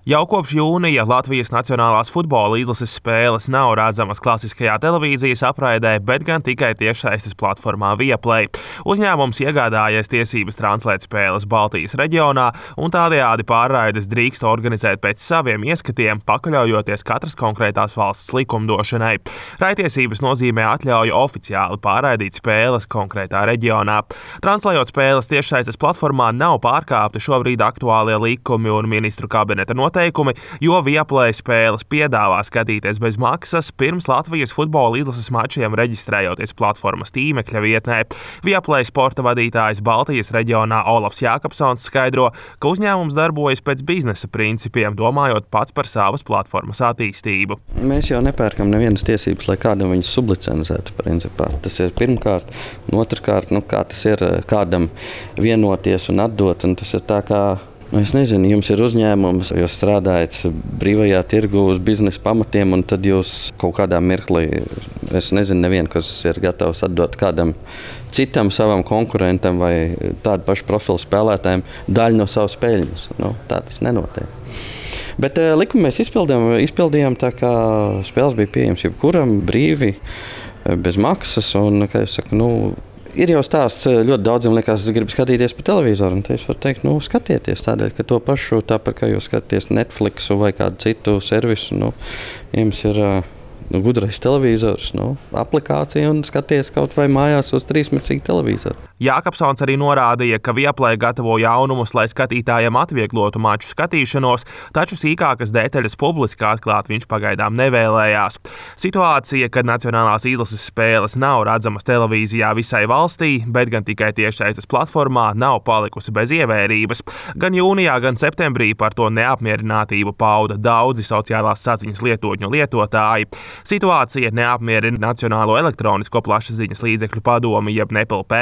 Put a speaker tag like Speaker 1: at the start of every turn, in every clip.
Speaker 1: Jau kopš jūnija Latvijas Nacionālās futbola izlases spēles nav redzamas klasiskajā televīzijas apraidē, bet gan tikai tiešsaistes platformā Viaplay. Uzņēmums iegādājies tiesības translēt spēles Baltijas reģionā un tādējādi pārraides drīkst organizēt pēc saviem ieskatiem, pakaļaujoties katras konkrētās valsts likumdošanai. Raidtiesības nozīmē atļauju oficiāli pārraidīt spēles konkrētā reģionā. Translējot spēles tiešsaistes platformā nav pārkāpti šobrīd aktuālie likumi un ministru kabineta noteikumi, jo Viaplay spēles piedāvā skatīties bez maksas pirms Latvijas futbola izlases mačiem reģistrējoties platformas tīmekļa vietnē. Viaplay sporta vadītājs Baltijas reģionā Olafs Jākapsons skaidro, ka uzņēmums darbojas pēc biznesa principiem, domājot pats par savas platformas attīstību.
Speaker 2: Mēs jau nepērkam nevienas tiesības, lai kādam viņas sublicenzētu principā. Tas ir pirmkārt, un otrkārt, kā tas ir kādam vienoties un atdot, un tas ir tā kā es nezinu, jums ir uzņēmums, jūs strādājat brīvajā tirgu uz biznesa pamatiem, un tad jūs kaut kādā mirklī, es nezinu nevienu, kas ir gatavs atdot kādam citam savam konkurentam vai tādu pašu profilu spēlētājiem daļu no savas peļņas. Tā tas nenotiek. Bet likumu mēs izpildījām tā, kā spēles bija pieejams jebkuram brīvi, bez maksas, un, kā es saku, ir jau stāsts, ļoti daudziem liekas, es gribu skatīties pa televizoru, un te es varu teikt, skatieties tādēļ, ka to pašu, tāpat kā jūs skatāties Netflixu vai kādu citu servisu, jums ir gudrais televizors, aplikācija un skaties kaut vai mājās uz 3-metrīgu televizoru.
Speaker 1: Jākapsons arī norādīja, ka Viaplay gatavo jaunumus, lai skatītājiem atvieglotu maču skatīšanos, taču sīkākas detaļas publiski atklāt viņš pagaidām nevēlējās. Situācija, kad nacionālās izlases spēles nav redzamas televīzijā visai valstī, bet gan tikai tiešsaistes platformā, nav palikusi bez ievērības. Gan jūnijā, gan septembrī par to neapmierinātību pauda daudzi sociālās saziņas lietotņu lietotāji. Situācija neapmierina Nacionālo elektronisko plašsaziņas līdzekļu padomi, jeb NEPLP.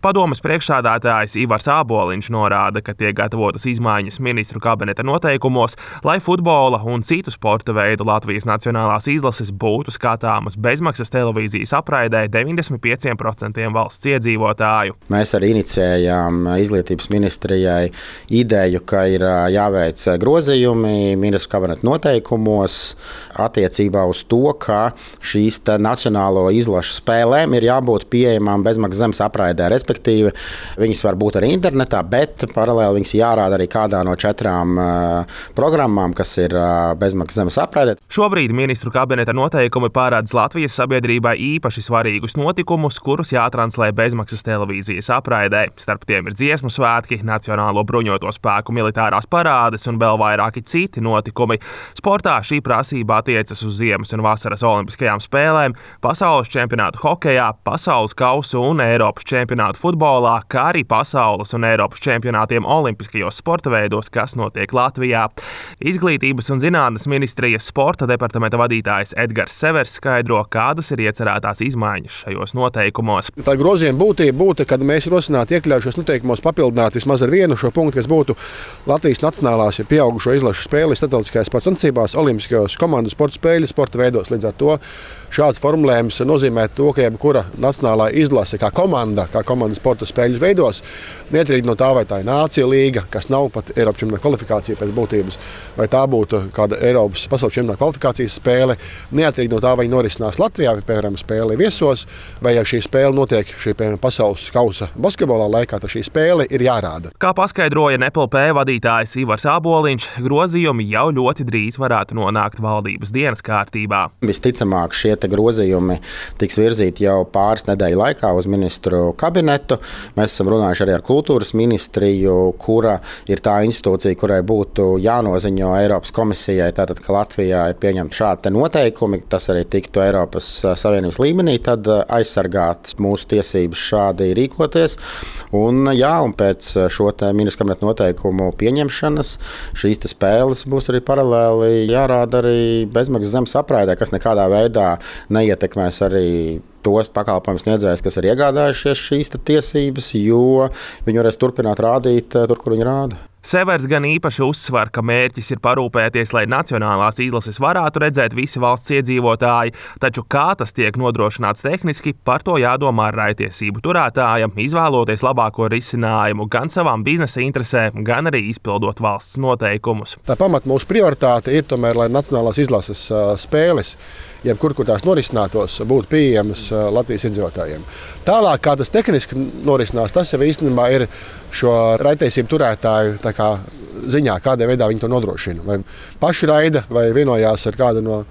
Speaker 1: Padomes priekšsēdētājs Ivars Āboliņš norāda, ka tiek gatavotas izmaiņas ministru kabineta noteikumos, lai futbola un citu sporta veidu Latvijas nacionālās izlases būtu skatāmas bezmaksas televīzijas apraidē 95% valsts iedzīvotāju.
Speaker 3: Mēs arī inicijējām izglītības ministrijai ideju, ka ir jāveic grozījumi ministru kabineta noteikumos attiecībā uz to, ka šīs nacionālo izlašu spēlēm ir jābūt pieejamām bezmaksas zemes apraidē. Respektīvi, viņas var būt arī internetā, bet paralēli viņas jārāda arī kādā no 4 programmām, kas ir bezmaksas zemes apraidē.
Speaker 1: Šobrīd ministru kabineta noteikumi pārēdz Latvijas sabiedrībai īpaši svarīgus notikumus, kurus jātranslē bezmaksas televīzijas apraidē. Starp tiem ir dziesmu svētki, Nacionālo bruņoto spēku militārās parādes un vēl vairāki citi notikumi. Sportā šī prasība attiecas uz ziemas un vasaras olimpiskajām spēlēm, pasaules čempionātu hokejā, pasaules kausu un Eiropas čempionātu futbolā, kā arī pasaules un Eiropas čempionātiem olimpiskajos sporta veidos, kas notiek Latvijā. Izglītības un zinātnes ministrijas sporta departamenta vadītājs Edgars Severs skaidro, kādas ir iecerētās izmaiņas šajos noteikumos.
Speaker 4: Tā grozījuma būtība būtu, kad mēs rosinātu iekļaut šos noteikumos papildināt vismaz ar vienu šo punktu, kas būtu Latvijas nacionālās pieaugušo izlašu spēles starptautiskajās sporta sacensībās, olimpiskajos komandu sporta spēļu sporta veidos. Līdz ar to šāds formulējums nozīmē to, ka jebkura nacionālā izlase kā komanda sporta spēļu veidos, neatkarīgi no tā, vai tā ir Nāciju līga, kas nav pat Eiropas čempionāta kvalifikācija pēc būtības, vai tā būtu kāda Eiropas pasaules čempionāta kvalifikācijas spēle, neatkarīgi no tā, vai norisinās Latvijā, vai, piemēram, spēle viesos, vai ja šī spēle notiek pasaules kausa basketbolā laikā, tad šī spēle ir jārāda.
Speaker 1: Kā paskaidroja NEPLP vadītājs Ivars Āboliņš, grozījumi jau ļoti drīz varētu nonākt valdības dienas kārtībā.
Speaker 3: Visticamāk, šie grozījumi tiks virzīti jau pāris nedēļu laikā uz ministru kabinetu. Mēs esam runājuši arī ar kultūras ministriju, kura ir tā institūcija, kurai būtu jānoziņo Eiropas komisijai, tātad, ka Latvijā ir pieņemti šādi noteikumi, tas arī tiktu Eiropas Savienības līmenī, tad aizsargāt mūsu tiesības šādi rīkoties. Un pēc šo ministru kabineta noteikumu pieņemšanas šīs spēles būs arī paralēli jārāda arī bezmaksas zemes apraidē, kas nekādā veidā neietekmēs arī tos pakalpojumu sniedzējus, kas ir iegādājušies šīs tiesības, jo viņi varēs turpināt rādīt tur, kur viņi rāda.
Speaker 1: Severs gan īpaši uzsver, ka mērķis ir parūpēties, lai nacionālās izlases varētu redzēt visi valsts iedzīvotāji, taču kā tas tiek nodrošināts tehniski, par to jādomā raitiesību turētājam, izvēloties labāko risinājumu gan savām biznesa interesēm, gan arī izpildot valsts noteikumus.
Speaker 4: Tā pamat mūsu prioritāte ir tomēr, lai nacionālās izlases spēles, jebkur, kur tās norisinātos, būtu pieejamas Latvijas iedzīvotājiem. Tālāk, kā tas tehniski norisinās, tas jau īstenībā ir šo raitiesību turētāju ziņā, kādā veidā viņi to nodrošina. Vai paši raida, vai vienojās ar kādu no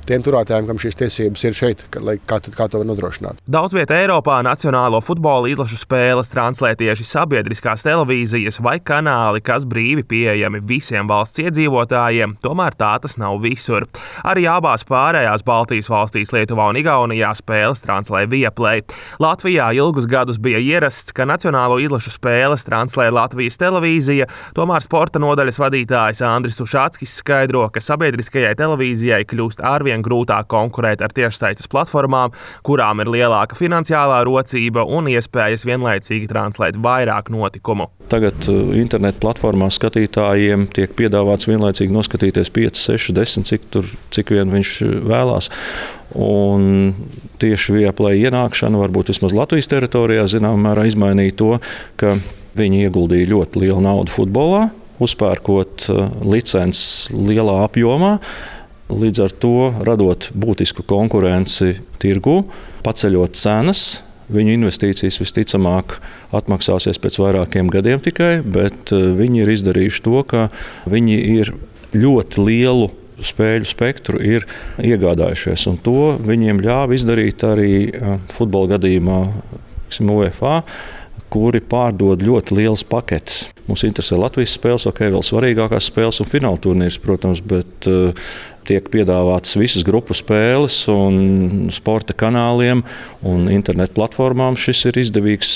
Speaker 4: tiem turētājiem, kam šīs tiesības ir šeit, kā to var nodrošināt.
Speaker 1: Daudz vietā Eiropā nacionālo futbola izlašu spēles translē tieši sabiedriskās televīzijas vai kanāli, kas brīvi pieejami visiem valsts iedzīvotājiem, tomēr tā tas nav visur. Arī abās pārējās Baltijas valstīs, Lietuvā un Igaunijā, spēles translē Viaplay. Latvijā ilgus gadus bija ierasts, ka nacionālo izlašu spēles translē Latvijas televīzija, tomēr sporta nodaļas vadītājs Andris Ušatskis skaidro, ka sabiedriskajai televīzijai kļūst arvien grūtāk konkurēt ar tiešsaistes platformām, kurām ir lielāka finansiālā rocība un iespējas vienlaicīgi translēt vairāk notikumu.
Speaker 5: Tagad internetu platformā skatītājiem tiek piedāvāts vienlaicīgi noskatīties 5, 6, 10, cik vien viņš vēlās. Un tieši Viaplay ienākšana varbūt vismaz Latvijas teritorijā zināmā mērā izmainīja to, ka viņi ieguldīja ļoti lielu naudu futbolā, uzpērkot licences lielā apjomā. Līdz ar to radot būtisku konkurenci tirgu, paceļot cenas, viņu investīcijas visticamāk atmaksāsies pēc vairākiem gadiem tikai, bet viņi ir izdarījuši to, ka viņi ir ļoti lielu spēļu spektru ir iegādājušies. Un to viņiem ļāva izdarīt arī futbola gadījumā UEFA, kuri pārdod ļoti liels paketes. Mums interesē Latvijas spēles, vēl svarīgākās spēles un fināla turnīrs, protams, bet tiek piedāvātas visas grupu spēles un sporta kanāliem un internetu platformām. Šis ir izdevīgs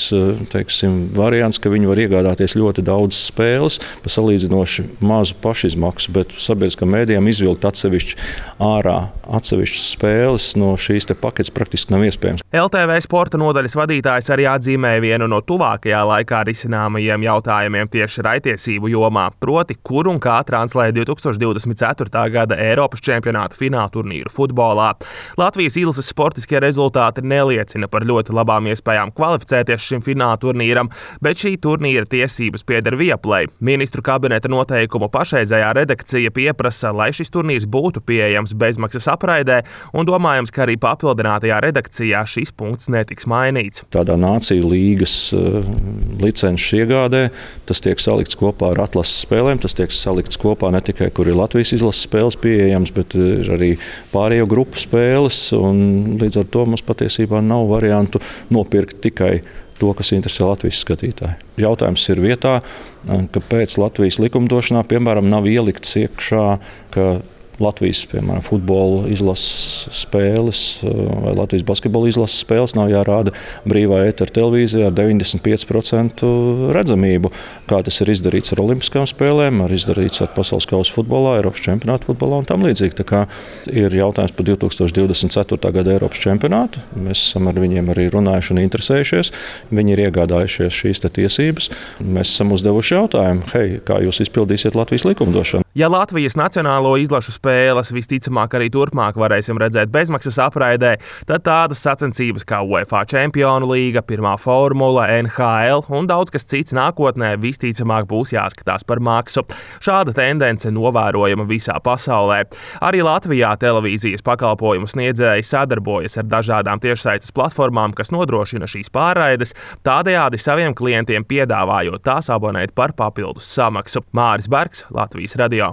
Speaker 5: variants, ka viņi var iegādāties ļoti daudz spēles par salīdzinoši mazu pašizmaksu, bet sabiedriskām mēdījām izvilkt atsevišķas spēles no šīs paketes praktiski nav iespējams.
Speaker 1: LTV sporta nodaļas vadītājs arī atzīmēja vienu no tuvākajā laikā risināmajiem jautājumiem tieši raitiesību jomā, proti, kur un kā translē 2024. gada Eiropas čempionāta fināla turnīru futbolā. Latvijas izlases sportiskie rezultāti neliecina par ļoti labām iespējām kvalificēties šim fināla turnīram, bet šī turnīra tiesības pieder Viaplay. Ministru kabineta noteikumu pašreizējā redakcija pieprasa, lai šis turnīrs būtu pieejams bezmaksas apraidē, un domājams, ka arī papildinātajā redakcijā šis punkts netiks mainīts.
Speaker 5: Tādā nāciju līgas licences iegādē tas tiek salikts kopā ar atlases spēlēm, tas tiek salikts kopā ne tikai, kur ir Latvijas izlases spēles pieejams, bet ir arī pārējo grupu spēles, un līdz ar to mums patiesībā nav variantu nopirkt tikai to, kas interesē Latvijas skatītāju. Jautājums ir vietā, kāpēc Latvijas likumdošanā, piemēram, nav ielikts iekšā, ka Latvijas, piemēram, futbola izlases spēles vai Latvijas basketbola izlases spēles nav jārāda brīvā ētera televīzijā ar 95% redzamību, kā tas ir izdarīts ar olimpiskām spēlēm, izdarīts ar pasaules kausa futbolā, Eiropas čempionāta futbolā un tam līdzīgi. Tā kā ir jautājums par 2024. gada Eiropas čempionātu. Mēs esam ar viņiem arī runājuši un interesējušies. Viņi ir iegādājušies šīs tiesības. Mēs esam uzdevuši jautājumu, kā jūs izpildīsiet Latvijas likumdošanu?
Speaker 1: Ja Latvijas nacionālo izlašu spēles visticamāk arī turpmāk varēsim redzēt bezmaksas apraidē, tad tādas sacensības kā UEFA Čempionu līga, pirmā formula, NHL un daudz kas cits nākotnē visticamāk būs jāskatās par maksu. Šāda tendence novērojama visā pasaulē. Arī Latvijā televīzijas pakalpojumu sniedzēji sadarbojas ar dažādām tiešsaistes platformām, kas nodrošina šīs pārraides, tādējādi saviem klientiem piedāvājot tās abonēt par papildus samaksu. Māris Bergs, Latvijas radio.